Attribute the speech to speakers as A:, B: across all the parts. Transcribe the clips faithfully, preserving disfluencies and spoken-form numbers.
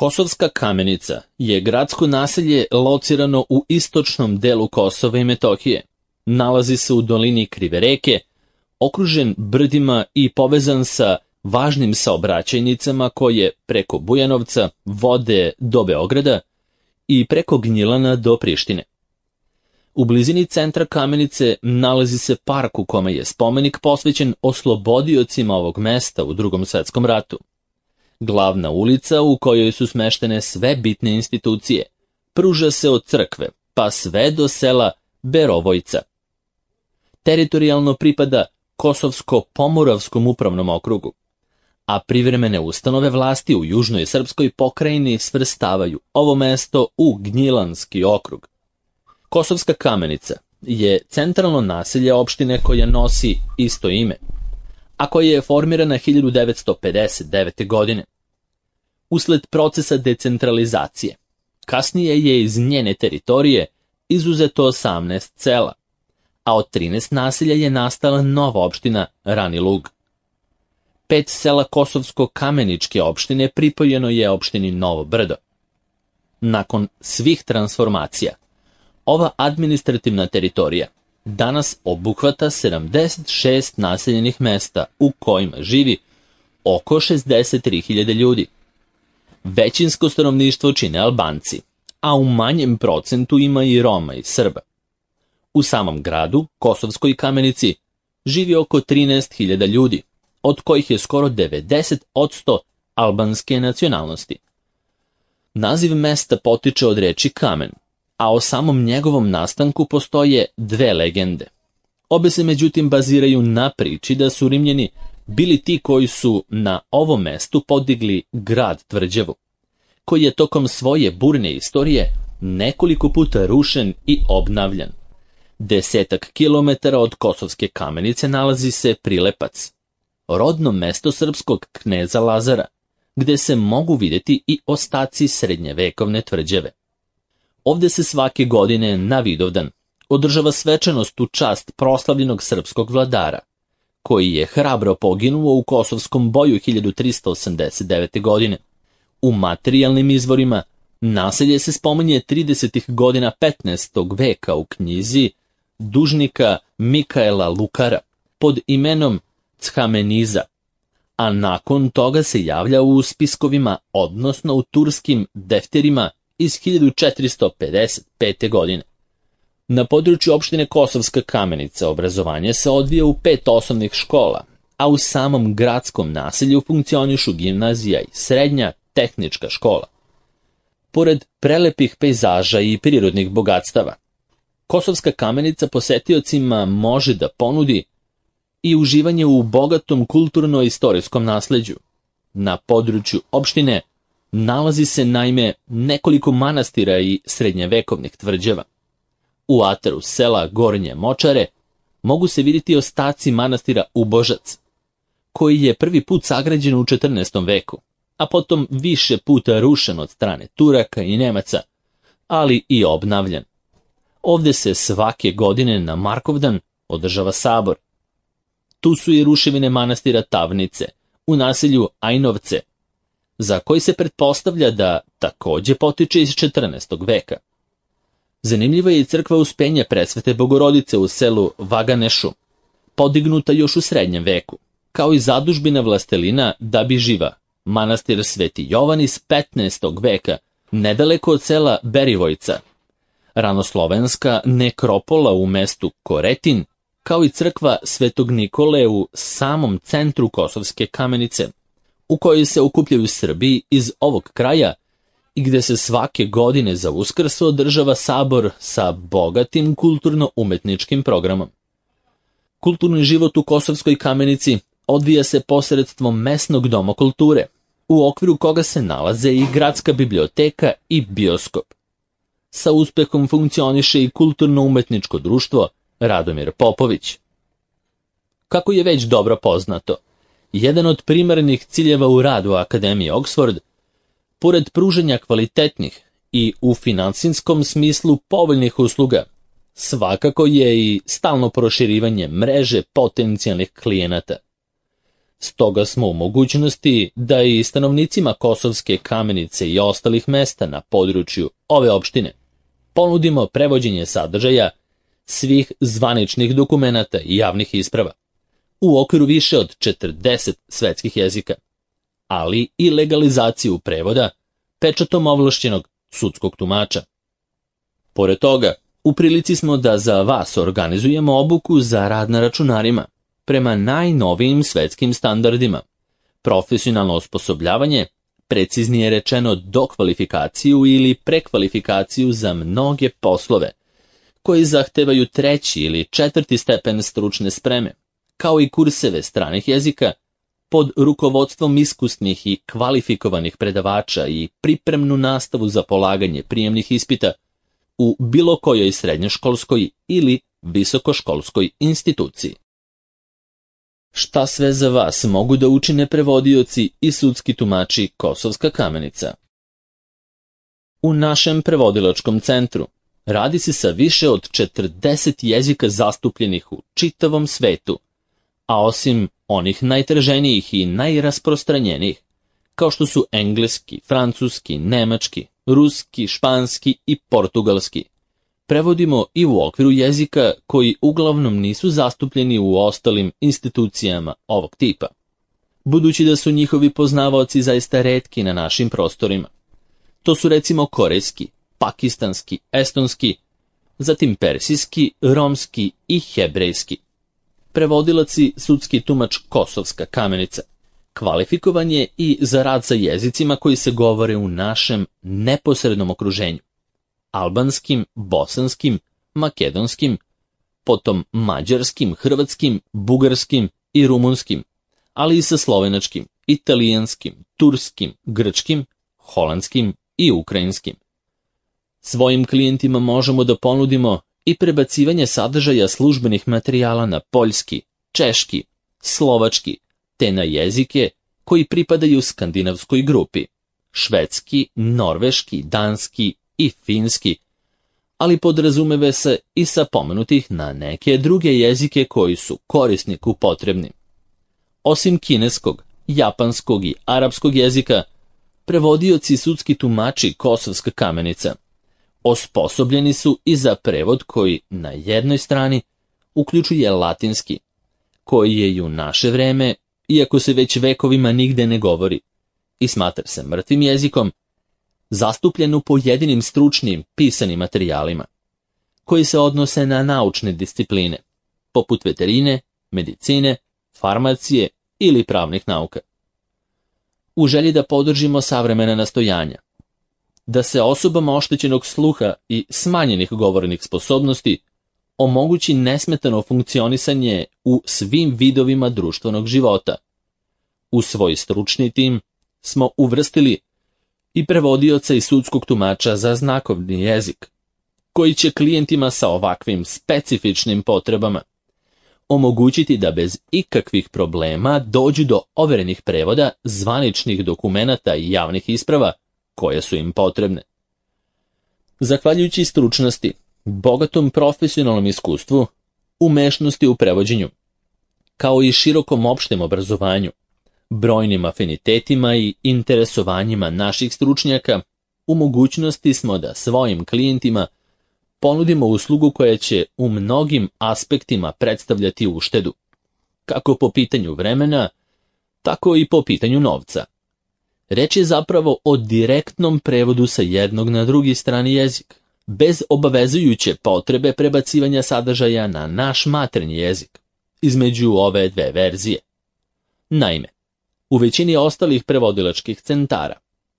A: Kosovska Kamenica je gradsko naselje locirano u istočnom delu Kosova i Metohije. Nalazi se u dolini Krive reke, okružen brdima i povezan sa važnim saobraćajnicama koje preko Bujanovca vode do Beograda i preko Gnjilana do Prištine. U blizini centra Kamenice nalazi se park u kome je spomenik posvećen oslobodiocima ovog mesta u Drugom svetskom ratu. Glavna ulica u kojoj su smeštene sve bitne institucije pruža se od crkve pa sve do sela Berovojca. Teritorijalno pripada Kosovsko-Pomoravskom upravnom okrugu, a privremene ustanove vlasti u južnoj srpskoj pokrajini svrstavaju ovo mesto u Gnjilanski okrug. Kosovska Kamenica je centralno naselje opštine koja nosi isto ime, a koja je formirana hiljadu devetsto pedeset devete. godine. Usled procesa decentralizacije, kasnije je iz njene teritorije izuzeto osamnaest sela, a od trinaest naselja je nastala nova opština Rani Lug. Pet sela Kosovsko-Kameničke opštine pripojeno je opštini Novo Brdo. Nakon svih transformacija, ova administrativna teritorija danas obuhvata sedamdeset šest naseljenih mesta u kojima živi oko šezdeset tri hiljade ljudi. Većinsko stanovništvo čine Albanci, a u manjem procentu ima i Roma i Srba. U samom gradu, Kosovskoj Kamenici, živi oko trinaest hiljada ljudi, od kojih je skoro devedeset posto albanske nacionalnosti. Naziv mesta potiče od reči kamen, a o samom njegovom nastanku postoje dve legende. Obe se međutim baziraju na priči da su Rimljani bili ti koji su na ovom mestu podigli grad Tvrđavu, koji je tokom svoje burne istorije nekoliko puta rušen i obnavljan. Desetak kilometara od Kosovske Kamenice nalazi se Prilepac, rodno mesto srpskog kneza Lazara, gde se mogu vidjeti i ostaci srednjevekovne tvrđave. Ovde se svake godine na Vidovdan održava svečanost u čast proslavljenog srpskog vladara, koji je hrabro poginuo u Kosovskom boju hiljadu tristo osamdeset devete. godine. U materijalnim izvorima naselje se spominje tridesetih godina petnaestog veka u knjizi dužnika Mikaela Lukara pod imenom Chameniza, a nakon toga se javlja u spiskovima, odnosno u turskim defterima iz hiljadu četiristo pedeset pete. godine. Na području opštine Kosovska Kamenica obrazovanje se odvija u pet osnovnih škola, a u samom gradskom naselju funkcionišu gimnazija i srednja tehnička škola. Pored prelepih pejzaža i prirodnih bogatstava, Kosovska Kamenica posetiocima može da ponudi i uživanje u bogatom kulturno-istorijskom nasleđu. Na području opštine nalazi se naime nekoliko manastira i srednjevekovnih tvrđava. U ataru sela Gornje Močare mogu se vidjeti ostaci manastira Ubožac, koji je prvi put sagrađen u četrnaestom veku, a potom više puta rušen od strane Turaka i Nemaca, ali i obnavljan. Ovde se svake godine na Markovdan održava sabor. Tu su i ruševine manastira Tavnice u naselju Ajnovce, za koji se pretpostavlja da takođe potiče iz četrnaestog veka. Zanimljiva je i crkva Uspenja Presvete Bogorodice u selu Vaganešu, podignuta još u srednjem veku, kao i zadužbina vlastelina Dabiživa, manastir Sveti Jovan iz petnaestog veka, nedaleko od sela Berivojca, ranoslovenska nekropola u mestu Koretin, kao i crkva Svetog Nikole u samom centru Kosovske Kamenice, u kojoj se okupljaju Srbi iz ovog kraja i gde se svake godine za Uskrs održava sabor sa bogatim kulturno-umetničkim programom. Kulturni život u Kosovskoj Kamenici odvija se posredstvom mesnog doma kulture, u okviru koga se nalaze i gradska biblioteka i bioskop. Sa uspehom funkcioniše i kulturno-umetničko društvo Radomir Popović. Kako je već dobro poznato, jedan od primarnih ciljeva u radu Akademije Oxford, pored pružanja kvalitetnih i u finansijskom smislu povoljnih usluga, svakako je i stalno proširivanje mreže potencijalnih klijenata. Stoga smo u mogućnosti da i stanovnicima Kosovske Kamenice i ostalih mesta na području ove opštine ponudimo prevođenje sadržaja svih zvaničnih dokumenata i javnih isprava u okviru više od četrdeset svetskih jezika, ali i legalizaciju prevoda pečatom ovlašćenog sudskog tumača. Pored toga, u prilici smo da za vas organizujemo obuku za rad na računarima prema najnovijim svetskim standardima, profesionalno osposobljavanje, preciznije rečeno dokvalifikaciju ili prekvalifikaciju za mnoge poslove koji zahtevaju treći ili četvrti stepen stručne spreme, kao i kurseve stranih jezika pod rukovodstvom iskusnih i kvalifikovanih predavača i pripremnu nastavu za polaganje prijemnih ispita u bilo kojoj srednjoškolskoj ili visokoškolskoj instituciji. Šta sve za vas mogu da učine prevodioci i sudski tumači Kosovska Kamenica? U našem prevodilačkom centru radi se sa više od četrdeset jezika zastupljenih u čitavom svetu, a osim onih najtraženijih i najrasprostranjenijih, kao što su engleski, francuski, nemački, ruski, španski i portugalski, prevodimo i u okviru jezika koji uglavnom nisu zastupljeni u ostalim institucijama ovog tipa, budući da su njihovi poznavaoci zaista retki na našim prostorima. To su recimo korejski, pakistanski, estonski, zatim persijski, romski i hebrejski. Prevodilac i sudski tumač Kosovska Kamenica kvalifikovan je i za rad sa jezicima koji se govore u našem neposrednom okruženju: albanskim, bosanskim, makedonskim, potom mađarskim, hrvatskim, bugarskim i rumunskim, ali i sa slovenačkim, italijanskim, turskim, grčkim, holandskim i ukrajinskim. Svojim klijentima možemo da ponudimo i prebacivanje sadržaja službenih materijala na poljski, češki, slovački, te na jezike koji pripadaju skandinavskoj grupi: švedski, norveški, danski i finski, ali podrazumeve se i sa pomenutih na neke druge jezike koji su korisniku potrebni. Osim kineskog, japanskog i arapskog jezika, prevodioci i sudski tumači Kosovska Kamenica osposobljeni su i za prevod koji na jednoj strani uključuje latinski, koji je i u naše vreme, iako se već vekovima nigde ne govori i smatra se mrtvim jezikom, zastupljen u pojedinim stručnim pisanim materijalima, koji se odnose na naučne discipline, poput veterine, medicine, farmacije ili pravnih nauka. U želji da podržimo savremena nastojanja, da se osobama oštećenog sluha i smanjenih govornih sposobnosti omogući nesmetano funkcionisanje u svim vidovima društvenog života, u svoj stručni tim smo uvrstili i prevodioca i sudskog tumača za znakovni jezik, koji će klijentima sa ovakvim specifičnim potrebama omogućiti da bez ikakvih problema dođu do overenih prevoda zvaničnih dokumenata i javnih isprava koje su im potrebne. Zahvaljujući stručnosti, bogatom profesionalnom iskustvu, umešnosti u prevođenju, kao i širokom opštem obrazovanju, brojnim afinitetima i interesovanjima naših stručnjaka, u mogućnosti smo da svojim klijentima ponudimo uslugu koja će u mnogim aspektima predstavljati uštedu, kako po pitanju vremena, tako i po pitanju novca. Reč je zapravo o direktnom prevodu sa jednog na drugi strani jezik, bez obavezujuće potrebe prebacivanja sadržaja na naš maternji jezik, između ove dve verzije. Naime, u većini ostalih prevodilačkih centara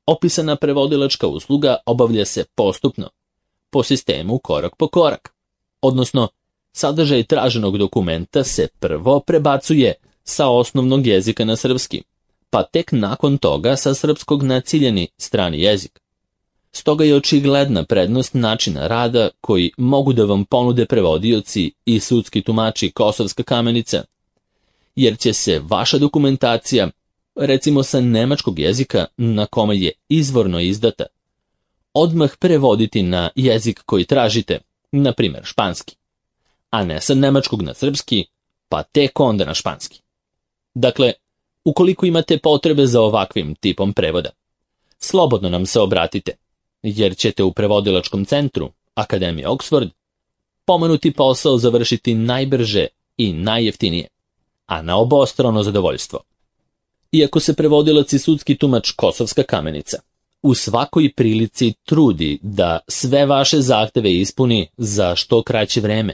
A: opisana prevodilačka usluga obavlja se postupno, po sistemu korak po korak, odnosno sadržaj traženog dokumenta se prvo prebacuje sa osnovnog jezika na srpski, pa tek nakon toga sa srpskog na ciljani strani jezik. Stoga je očigledna prednost načina rada koji mogu da vam ponude prevodioci i sudski tumači Kosovska Kamenica, jer će se vaša dokumentacija, recimo sa nemačkog jezika na kome je izvorno izdata, odmah prevoditi na jezik koji tražite, na primjer španski, a ne sa nemačkog na srpski, pa tek onda na španski. Dakle, Ukoliko imate potrebe za ovakvim tipom prevoda, slobodno nam se obratite, jer ćete u prevodilačkom centru Akademije Oxford pomenuti posao završiti najbrže i najjeftinije, a na obostrano zadovoljstvo. Iako se prevodilac i sudski tumač Kosovska Kamenica u svakoj prilici trudi da sve vaše zahteve ispuni za što kraće vreme,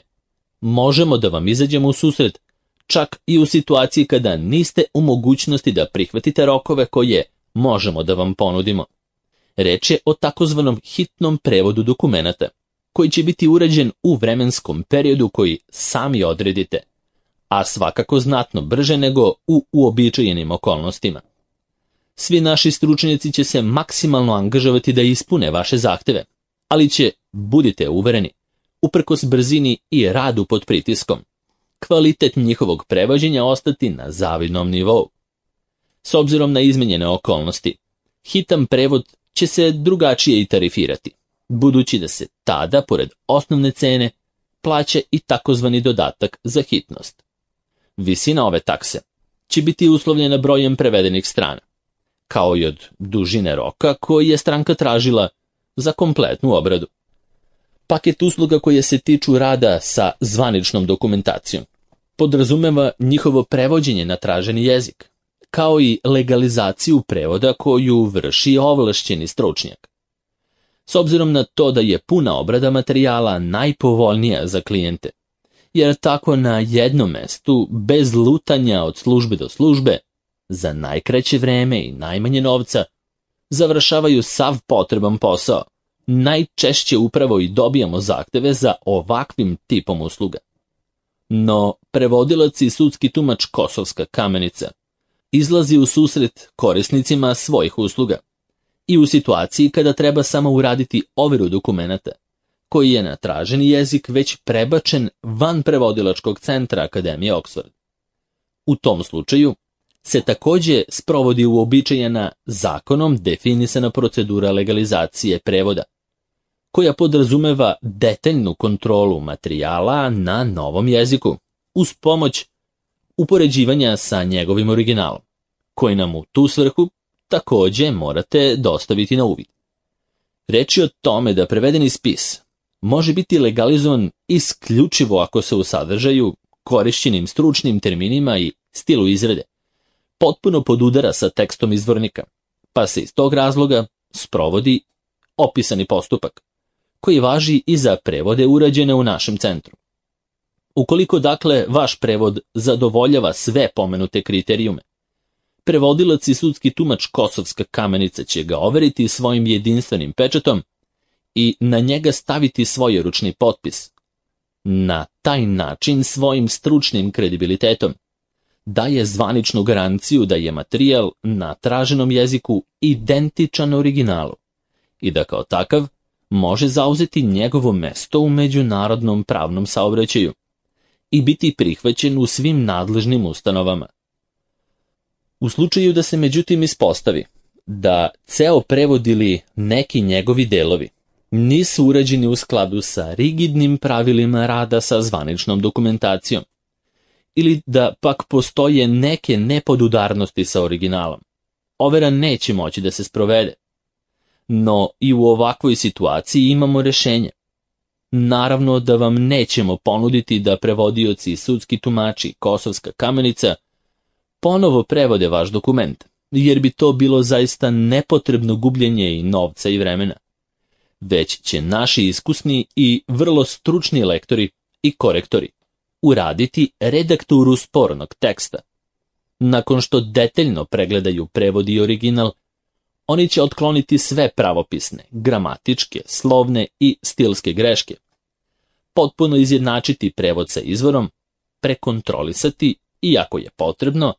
A: možemo da vam izađemo u susret čak i u situaciji kada niste u mogućnosti da prihvatite rokove koje možemo da vam ponudimo. Reč je o takozvanom hitnom prevodu dokumenata, koji će biti urađen u vremenskom periodu koji sami odredite, a svakako znatno brže nego u uobičajenim okolnostima. Svi naši stručnjaci će se maksimalno angažovati da ispune vaše zahteve, ali će, budite uvereni, uprkos brzini i radu pod pritiskom, kvalitet njihovog prevođenja ostati na zavidnom nivou. S obzirom na izmenjene okolnosti, hitan prevod će se drugačije i tarifirati, budući da se tada, pored osnovne cene, plaća i takozvani dodatak za hitnost. Visina ove takse će biti uslovljena brojem prevedenih strana, kao i od dužine roka koji je stranka tražila za kompletnu obradu. Paket usluga koje se tiču rada sa zvaničnom dokumentacijom podrazumeva njihovo prevođenje na traženi jezik, kao i legalizaciju prevoda koju vrši ovlašćeni stručnjak. S obzirom na to da je puna obrada materijala najpovoljnija za klijente, jer tako na jednom mestu, bez lutanja od službe do službe, za najkraće vreme i najmanje novca, završavaju sav potreban posao, najčešće upravo i dobijamo zahteve za ovakvim tipom usluga. No, prevodilac i sudski tumač Kosovska Kamenica izlazi u susret korisnicima svojih usluga i u situaciji kada treba samo uraditi overu dokumenata, koji je na traženi jezik već prebačen van prevodilačkog centra Akademije Oxford. U tom slučaju se također sprovodi uobičajena zakonom definisana procedura legalizacije prevoda, koja podrazumeva detaljnu kontrolu materijala na novom jeziku, uz pomoć upoređivanja sa njegovim originalom, koji nam u tu svrhu također morate dostaviti na uvid. Reč je o tome da prevedeni spis može biti legalizovan isključivo ako se u sadržaju, korišćenim stručnim terminima i stilu izrade potpuno podudara sa tekstom izvornika, pa se iz tog razloga sprovodi opisani postupak, koji važi i za prevode urađene u našem centru. Ukoliko dakle vaš prevod zadovoljava sve pomenute kriterijume, prevodilac i sudski tumač Kosovska Kamenica će ga overiti svojim jedinstvenim pečatom i na njega staviti svoj ručni potpis. Na taj način svojim stručnim kredibilitetom daje zvaničnu garanciju da je materijal na traženom jeziku identičan originalu i da kao takav može zauzeti njegovo mesto u međunarodnom pravnom saobraćaju i biti prihvaćen u svim nadležnim ustanovama. U slučaju da se međutim ispostavi da ceo prevod ili neki njegovi delovi nisu urađeni u skladu sa rigidnim pravilima rada sa zvaničnom dokumentacijom, ili da pak postoje neke nepodudarnosti sa originalom, overa neće moći da se sprovede. No i u ovakvoj situaciji imamo rješenje. Naravno da vam nećemo ponuditi da prevodioci i sudski tumači Kosovska Kamenica ponovo prevode vaš dokument, jer bi to bilo zaista nepotrebno gubljenje i novca i vremena. Već će naši iskusni i vrlo stručni lektori i korektori uraditi redakturu spornog teksta. Nakon što detaljno pregledaju prevod i original, oni će otkloniti sve pravopisne, gramatičke, slovne i stilske greške, potpuno izjednačiti prevod sa izvorom, prekontrolisati i, ako je potrebno,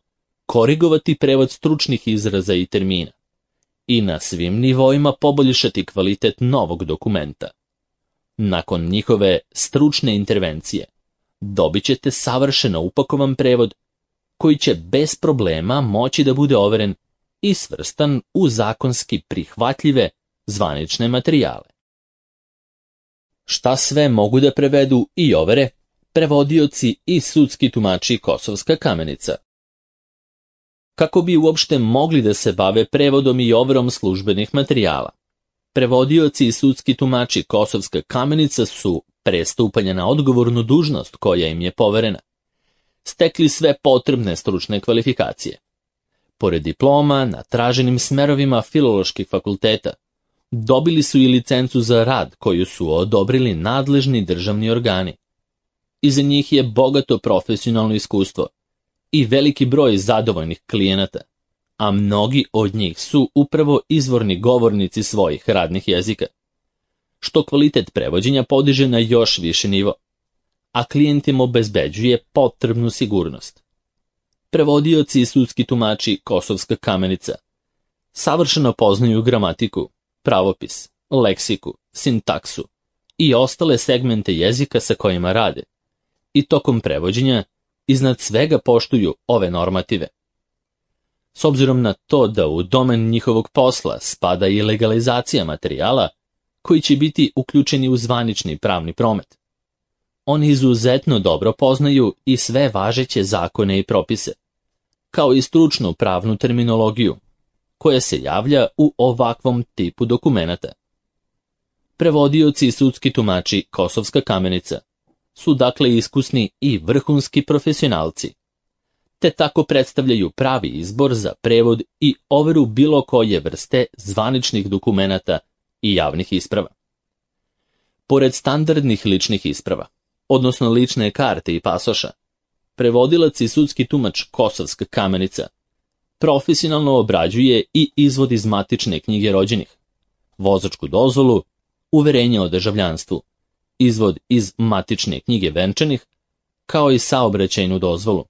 A: korigovati prevod stručnih izraza i termina i na svim nivoima poboljšati kvalitet novog dokumenta. Nakon njihove stručne intervencije dobit ćete savršeno upakovan prevod koji će bez problema moći da bude overen i svrstan u zakonski prihvatljive zvanične materijale. Šta sve mogu da prevedu i overe prevodioci i sudski tumači Kosovska Kamenica? kako bi uopšte mogli da se bave prevodom i overom službenih materijala. Prevodioci i sudski tumači Kosovska Kamenica su, pre stupanja na odgovornu dužnost koja im je poverena, stekli sve potrebne stručne kvalifikacije. Pored diploma na traženim smerovima filoloških fakulteta, dobili su i licencu za rad koju su odobrili nadležni državni organi. Iza njih je bogato profesionalno iskustvo i veliki broj zadovoljnih klijenata, a mnogi od njih su upravo izvorni govornici svojih radnih jezika, što kvalitet prevođenja podiže na još više nivo, a klijentima obezbeđuje potrebnu sigurnost. Prevodioci i sudski tumači Kosovska Kamenica savršeno poznaju gramatiku, pravopis, leksiku, sintaksu i ostale segmente jezika sa kojima rade i tokom prevođenja iznad svega poštuju ove normative. S obzirom na to da u domen njihovog posla spada i legalizacija materijala koji će biti uključeni u zvanični pravni promet, oni izuzetno dobro poznaju i sve važeće zakone i propise, kao i stručnu pravnu terminologiju, koja se javlja u ovakvom tipu dokumenata. Prevodioci i sudski tumači Kosovska Kamenica su dakle iskusni i vrhunski profesionalci, te tako predstavljaju pravi izbor za prevod i overu bilo koje vrste zvaničnih dokumenata i javnih isprava. Pored standardnih ličnih isprava, odnosno lične karte i pasoša, prevodilac i sudski tumač Kosovska Kamenica profesionalno obrađuje i izvod iz matične knjige rođenih, vozačku dozvolu, uverenje o državljanstvu, izvod iz matične knjige venčanih, kao i saobraćajnu dozvolu,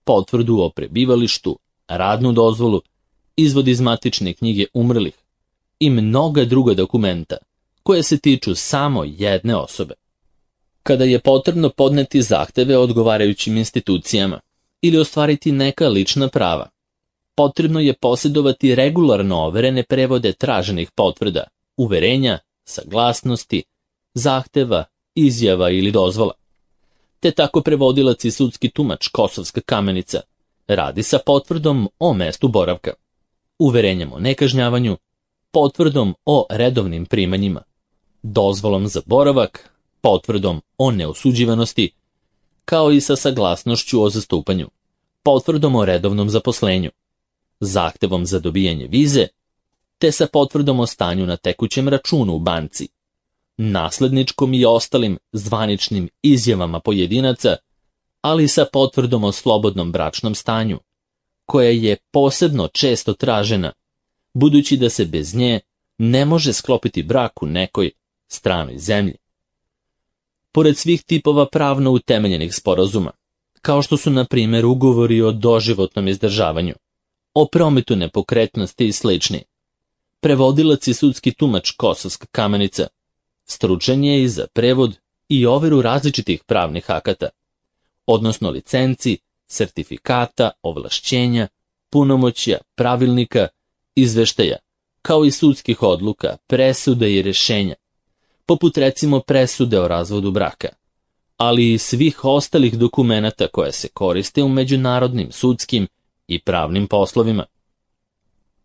A: potvrdu o prebivalištu, radnu dozvolu, izvod iz matične knjige umrlih i mnoga druga dokumenta koje se tiču samo jedne osobe. Kada je potrebno podneti zahteve odgovarajućim institucijama ili ostvariti neka lična prava, potrebno je posjedovati regularno overene prevode traženih potvrda, uverenja, saglasnosti, zahteva, izjava ili dozvola. Te tako prevodilac i sudski tumač Kosovska Kamenica radi sa potvrdom o mestu boravka, uverenjem o nekažnjavanju, potvrdom o redovnim primanjima, dozvolom za boravak, potvrdom o neosuđivanosti, kao i sa saglasnošću o zastupanju, potvrdom o redovnom zaposlenju, zahtevom za dobijanje vize, te sa potvrdom o stanju na tekućem računu u banci, nasledničkom i ostalim zvaničnim izjavama pojedinaca, ali sa potvrdom o slobodnom bračnom stanju, koja je posebno često tražena, budući da se bez nje ne može sklopiti brak u nekoj stranoj zemlji. Pored svih tipova pravno utemeljenih sporazuma, kao što su na primjer ugovori o doživotnom izdržavanju, o prometu nepokretnosti i slični, prevodilac i sudski tumač Kosovska Kamenica stručan je i za prevod i overu različitih pravnih akata, odnosno licenci, sertifikata, ovlašćenja, punomoćja, pravilnika, izveštaja, kao i sudskih odluka, presuda i rješenja, poput recimo presude o razvodu braka, ali i svih ostalih dokumenata koje se koriste u međunarodnim sudskim i pravnim poslovima.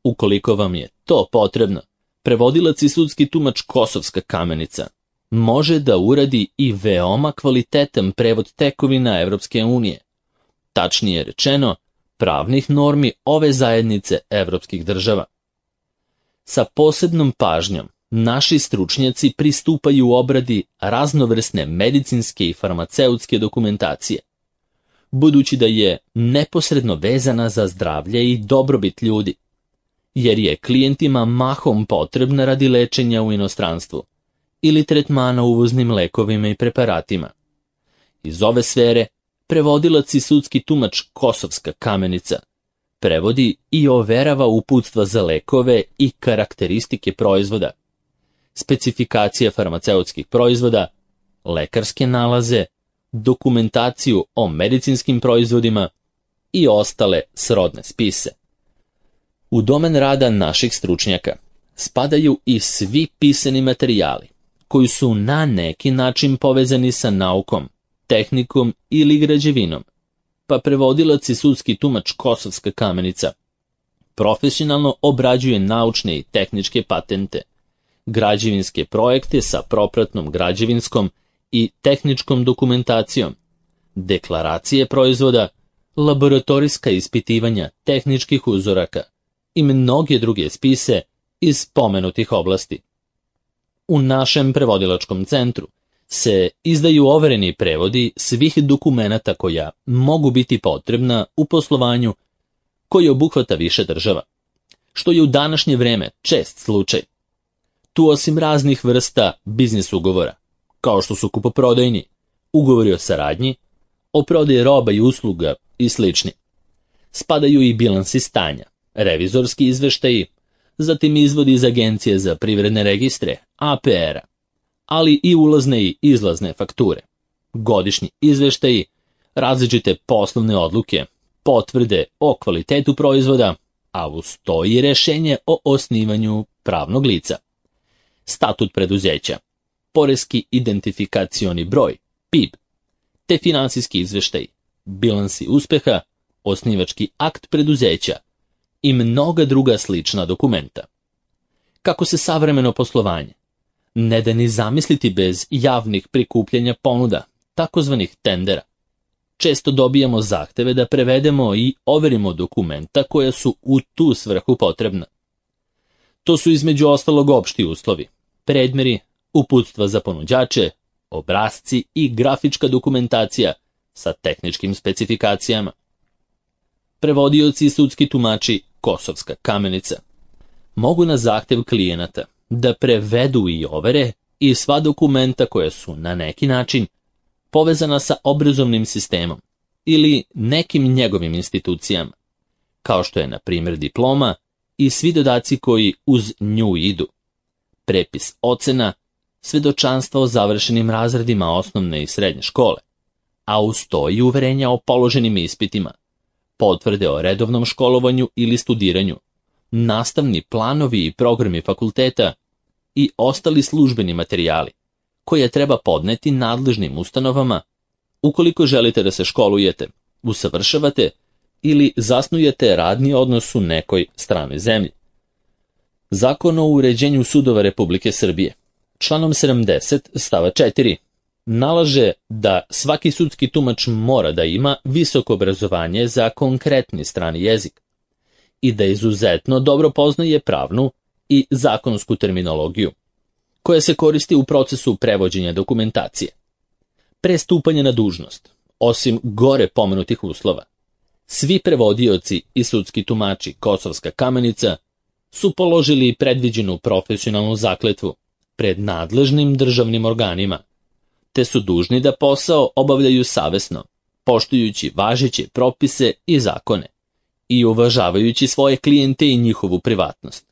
A: Ukoliko vam je to potrebno, prevodilac i sudski tumač Kosovska Kamenica može da uradi i veoma kvalitetan prevod tekovina Evropske unije, tačnije rečeno, pravnih normi ove zajednice evropskih država. Sa posebnom pažnjom naši stručnjaci pristupaju obradi raznovrsne medicinske i farmaceutske dokumentacije, budući da je neposredno vezana za zdravlje i dobrobit ljudi, jer je klijentima mahom potrebna radi lečenja u inostranstvu ili tretmana uvoznim lekovima i preparatima. Iz ove sfere prevodilac i sudski tumač Kosovska Kamenica prevodi i overava uputstva za lekove i karakteristike proizvoda, specifikacije farmaceutskih proizvoda, lekarske nalaze, dokumentaciju o medicinskim proizvodima i ostale srodne spise. U domen rada naših stručnjaka spadaju i svi pisani materijali koji su na neki način povezani sa naukom, tehnikom ili građevinom, pa prevodilac i sudski tumač Kosovska Kamenica profesionalno obrađuje naučne i tehničke patente, građevinske projekte sa propratnom građevinskom i tehničkom dokumentacijom, deklaracije proizvoda, laboratorijska ispitivanja tehničkih uzoraka i mnoge druge spise iz pomenutih oblasti. U našem prevodilačkom centru se izdaju overeni prevodi svih dokumenata koja mogu biti potrebna u poslovanju koji obuhvata više država, što je u današnje vreme čest slučaj. Tu osim raznih vrsta biznis ugovora, kao što su kupoprodajni, ugovori o saradnji, o prodaji roba i usluga i slični, spadaju i bilansi stanja, revizorski izveštaji, zatim izvodi iz Agencije za privredne registre, A P R-a, ali i ulazne i izlazne fakture, godišnji izveštaji, različite poslovne odluke, potvrde o kvalitetu proizvoda, a uz to i rešenje o osnivanju pravnog lica, statut preduzeća, poreski identifikacioni broj, P I B, te finansijski izveštaj, bilansi uspeha, osnivački akt preduzeća i mnoga druga slična dokumenta. Kako se savremeno poslovanje ne da ni zamisliti bez javnih prikupljanja ponuda, takozvanih tendera. Često dobijamo zahteve da prevedemo i overimo dokumenta koja su u tu svrhu potrebna. To su između ostalog opšti uslovi, predmeri, uputstva za ponuđače, obrasci i grafička dokumentacija sa tehničkim specifikacijama. Prevodioci i sudski tumači Kosovska Kamenica mogu na zahtev klijenata da prevedu i overe i sva dokumenta koja su na neki način povezana sa obrazovnim sistemom ili nekim njegovim institucijama, kao što je na primjer diploma i svi dodaci koji uz nju idu, prepis ocena, svedočanstva o završenim razredima osnovne i srednje škole, a uz to i uverenja o položenim ispitima, potvrde o redovnom školovanju ili studiranju, nastavni planovi i programi fakulteta i ostali službeni materijali koje treba podneti nadležnim ustanovama ukoliko želite da se školujete, usavršavate ili zasnujete radni odnos u nekoj stranoj zemlji. Zakon o uređenju sudova Republike Srbije, članom sedamdeset stava četiri, nalaže da svaki sudski tumač mora da ima visoko obrazovanje za konkretni strani jezik i da izuzetno dobro poznaje pravnu i zakonsku terminologiju, koja se koristi u procesu prevođenja dokumentacije. Pre stupanja na dužnost, osim gore pomenutih uslova, svi prevodioci i sudski tumači Kosovska Kamenica su položili predviđenu profesionalnu zakletvu pred nadležnim državnim organima, te su dužni da posao obavljaju savesno, poštujući važeće propise i zakone i uvažavajući svoje klijente i njihovu privatnost.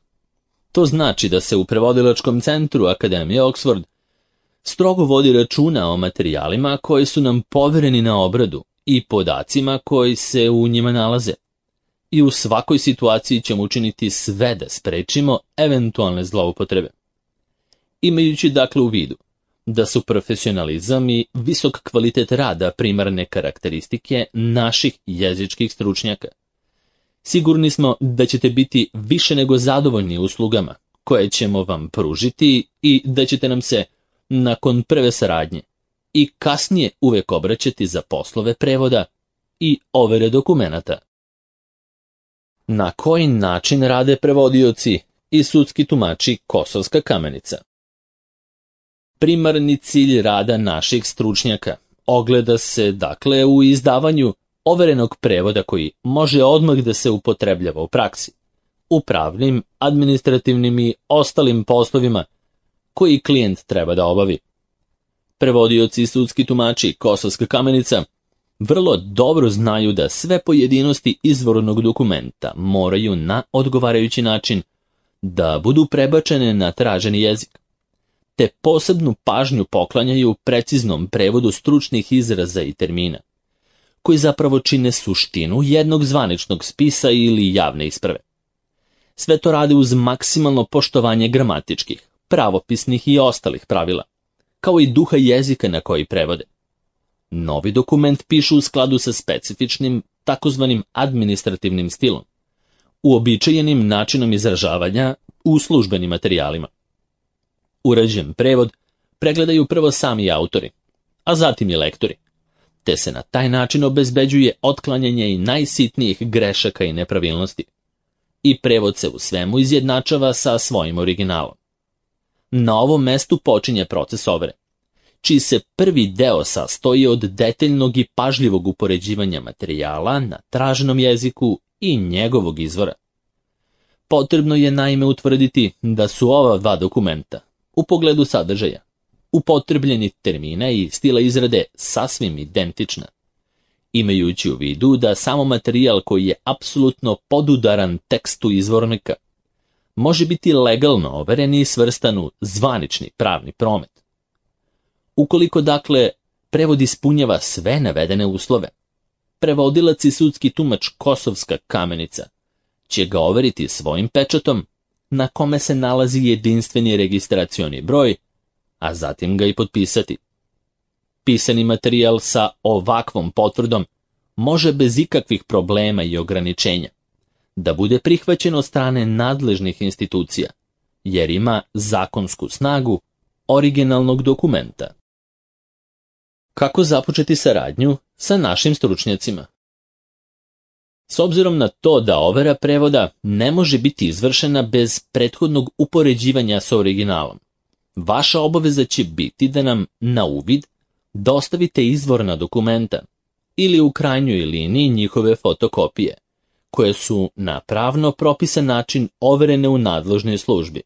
A: To znači da se u prevodilačkom centru Akademije Oxford strogo vodi računa o materijalima koji su nam povereni na obradu i podacima koji se u njima nalaze. I u svakoj situaciji ćemo učiniti sve da sprečimo eventualne zloupotrebe. Imajući dakle u vidu da su profesionalizam i visok kvalitet rada primarne karakteristike naših jezičkih stručnjaka, sigurni smo da ćete biti više nego zadovoljni uslugama koje ćemo vam pružiti i da ćete nam se, nakon prve saradnje, i kasnije uvek obraćati za poslove prevoda i overe dokumenata. Na koji način rade prevodioci i sudski tumači Kosovska Kamenica? Primarni cilj rada naših stručnjaka ogleda se, dakle, u izdavanju overenog prevoda koji može odmah da se upotrebljava u praksi, u pravnim, administrativnim i ostalim poslovima koji klijent treba da obavi. Prevodioci i sudski tumači Kosovska Kamenica vrlo dobro znaju da sve pojedinosti izvornog dokumenta moraju na odgovarajući način da budu prebačene na traženi jezik, te posebnu pažnju poklanjaju preciznom prevodu stručnih izraza i termina, koji zapravo čine suštinu jednog zvaničnog spisa ili javne isprave. Sve to rade uz maksimalno poštovanje gramatičkih, pravopisnih i ostalih pravila, kao i duha jezika na koji prevode. Novi dokument pišu u skladu sa specifičnim, takozvanim administrativnim stilom, uobičajenim načinom izražavanja u službenim materijalima. Urađen prevod pregledaju prvo sami autori, a zatim i lektori, te se na taj način obezbeđuje otklanjanje i najsitnijih grešaka i nepravilnosti. I prevod se u svemu izjednačava sa svojim originalom. Na ovom mestu počinje proces overe, čiji se prvi deo sastoji od detaljnog i pažljivog upoređivanja materijala na traženom jeziku i njegovog izvora. Potrebno je naime utvrditi da su ova dva dokumenta, u pogledu sadržaja, upotrebljeni termina i stila izrade sasvim identična, imajući u vidu da samo materijal koji je apsolutno podudaran tekstu izvornika može biti legalno overen i svrstan u zvanični pravni promet. Ukoliko dakle prevod ispunjava sve navedene uslove, prevodilac i sudski tumač Kosovska Kamenica će ga overiti svojim pečatom na kome se nalazi jedinstveni registracioni broj, a zatim ga i potpisati. Pisani materijal sa ovakvom potvrdom može bez ikakvih problema i ograničenja da bude prihvaćen od strane nadležnih institucija, jer ima zakonsku snagu originalnog dokumenta. Kako započeti saradnju sa našim stručnjacima? S obzirom na to da overa prevoda ne može biti izvršena bez prethodnog upoređivanja sa originalom, vaša obaveza će biti da nam na uvid dostavite izvorna dokumenta ili u krajnjoj liniji njihove fotokopije, koje su na pravno propisan način overene u nadležnoj službi.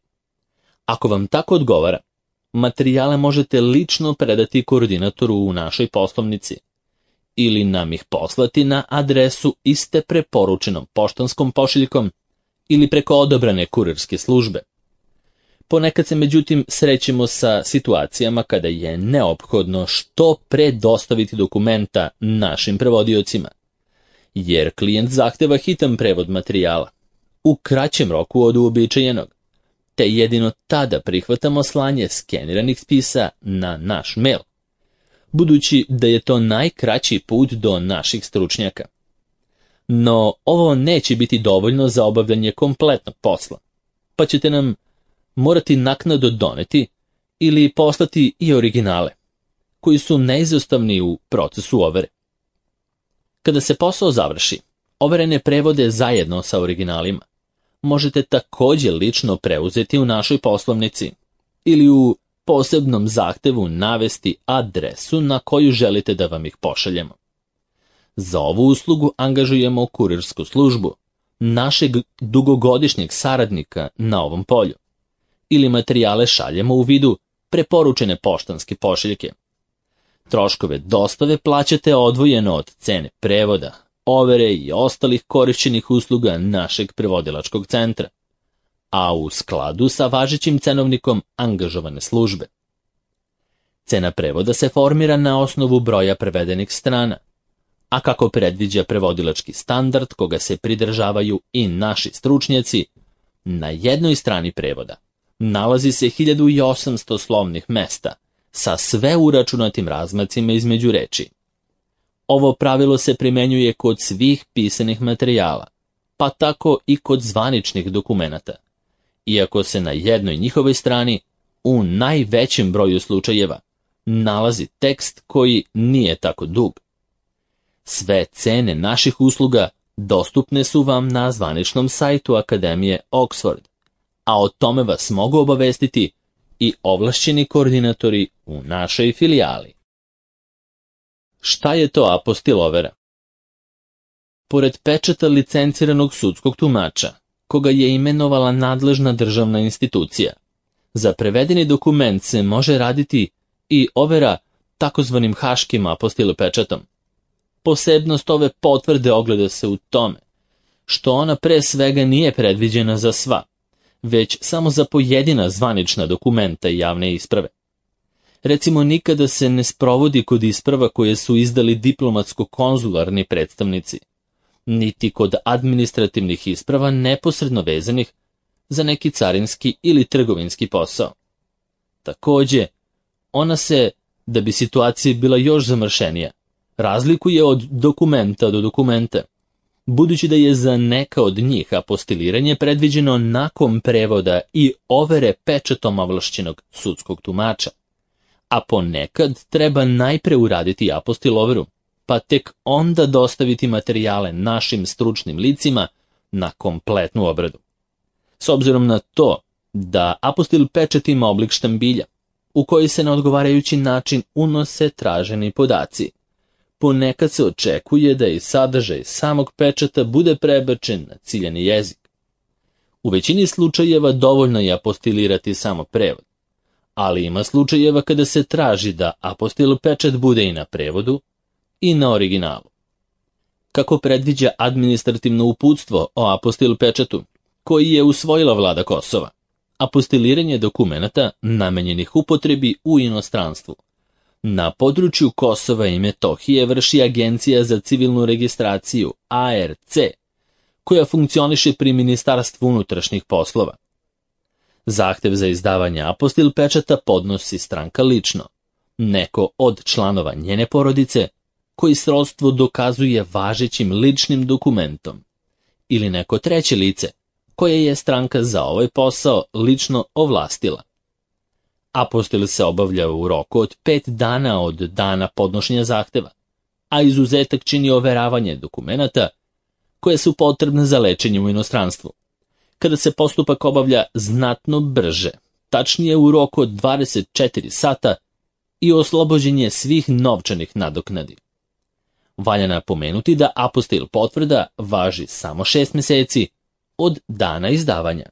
A: Ako vam tako odgovara, materijale možete lično predati koordinatoru u našoj poslovnici ili nam ih poslati na adresu iste preporučenom poštanskom pošiljkom ili preko odabrane kurirske službe. Ponekad se međutim srećemo sa situacijama kada je neophodno što pre dostaviti dokumenta našim prevodiocima, jer klijent zahteva hitan prevod materijala u kraćem roku od uobičajenog, te jedino tada prihvatamo slanje skeniranih spisa na naš mail, budući da je to najkraći put do naših stručnjaka. No, ovo neće biti dovoljno za obavljanje kompletnog posla, pa ćete nam morati naknadno doneti ili poslati i originale, koji su neizostavni u procesu overe. Kada se posao završi, overene prevode zajedno sa originalima možete također lično preuzeti u našoj poslovnici ili u posebnom zahtevu navesti adresu na koju želite da vam ih pošaljemo. Za ovu uslugu angažujemo kurirsku službu, našeg dugogodišnjeg saradnika na ovom polju, ili materijale šaljemo u vidu preporučene poštanske pošiljke. Troškove dostave plaćate odvojeno od cene prevoda, overe i ostalih korišćenih usluga našeg prevodilačkog centra, a u skladu sa važećim cenovnikom angažovane službe. Cena prevoda se formira na osnovu broja prevedenih strana, a kako predviđa prevodilački standard koga se pridržavaju i naši stručnjaci, na jednoj strani prevoda nalazi se hiljadu osamsto slovnih mesta sa sve uračunatim razmacima između reči. Ovo pravilo se primenjuje kod svih pisanih materijala, pa tako i kod zvaničnih dokumenata, iako se na jednoj njihovoj strani, u najvećem broju slučajeva, nalazi tekst koji nije tako dug. Sve cene naših usluga dostupne su vam na zvaničnom sajtu Akademije Oxford, a o tome vas mogu obavestiti i ovlašćeni koordinatori u našoj filijali. Šta je to apostil overa? Pored pečata licenciranog sudskog tumača, koga je imenovala nadležna državna institucija, za prevedeni dokument se može raditi i overa takozvanim haškim apostil pečatom. Posebnost ove potvrde ogleda se u tome što ona pre svega nije predviđena za sva, već samo za pojedina zvanična dokumenta i javne isprave. Recimo, nikada se ne sprovodi kod isprava koje su izdali diplomatsko-konzularni predstavnici, niti kod administrativnih isprava neposredno vezanih za neki carinski ili trgovinski posao. Također, ona se, da bi situacija bila još zamršenija, razlikuje od dokumenta do dokumenta, budući da je za neka od njih apostiliranje predviđeno nakon prevoda i overe pečatom ovlašćenog sudskog tumača, a ponekad treba najpre uraditi apostil overu, pa tek onda dostaviti materijale našim stručnim licima na kompletnu obradu. S obzirom na to da apostil pečat ima oblik štambilja, u koji se na odgovarajući način unose traženi podaci, ponekad se očekuje da i sadržaj samog pečata bude prebačen na ciljani jezik. U većini slučajeva dovoljno je apostilirati samo prevod, ali ima slučajeva kada se traži da apostil pečat bude i na prevodu i na originalu. Kako predviđa administrativno uputstvo o apostil pečatu, koji je usvojila vlada Kosova, apostiliranje dokumenata namenjenih upotrebi u inostranstvu na području Kosova i Metohije vrši Agencija za civilnu registraciju A R C, koja funkcioniše pri Ministarstvu unutrašnjih poslova. Zahtev za izdavanje apostil pečata podnosi stranka lično, neko od članova njene porodice koji srodstvo dokazuje važećim ličnim dokumentom, ili neko treće lice koje je stranka za ovaj posao lično ovlastila. Apostil se obavlja u roku od pet dana od dana podnošenja zahteva, a izuzetak čini overavanje dokumenata koje su potrebne za lečenje u inostranstvu, kada se postupak obavlja znatno brže, tačnije u roku od dvadeset četiri sata i oslobođenje svih novčanih nadoknadi. Valja napomenuti da apostil potvrda važi samo šest meseci od dana izdavanja.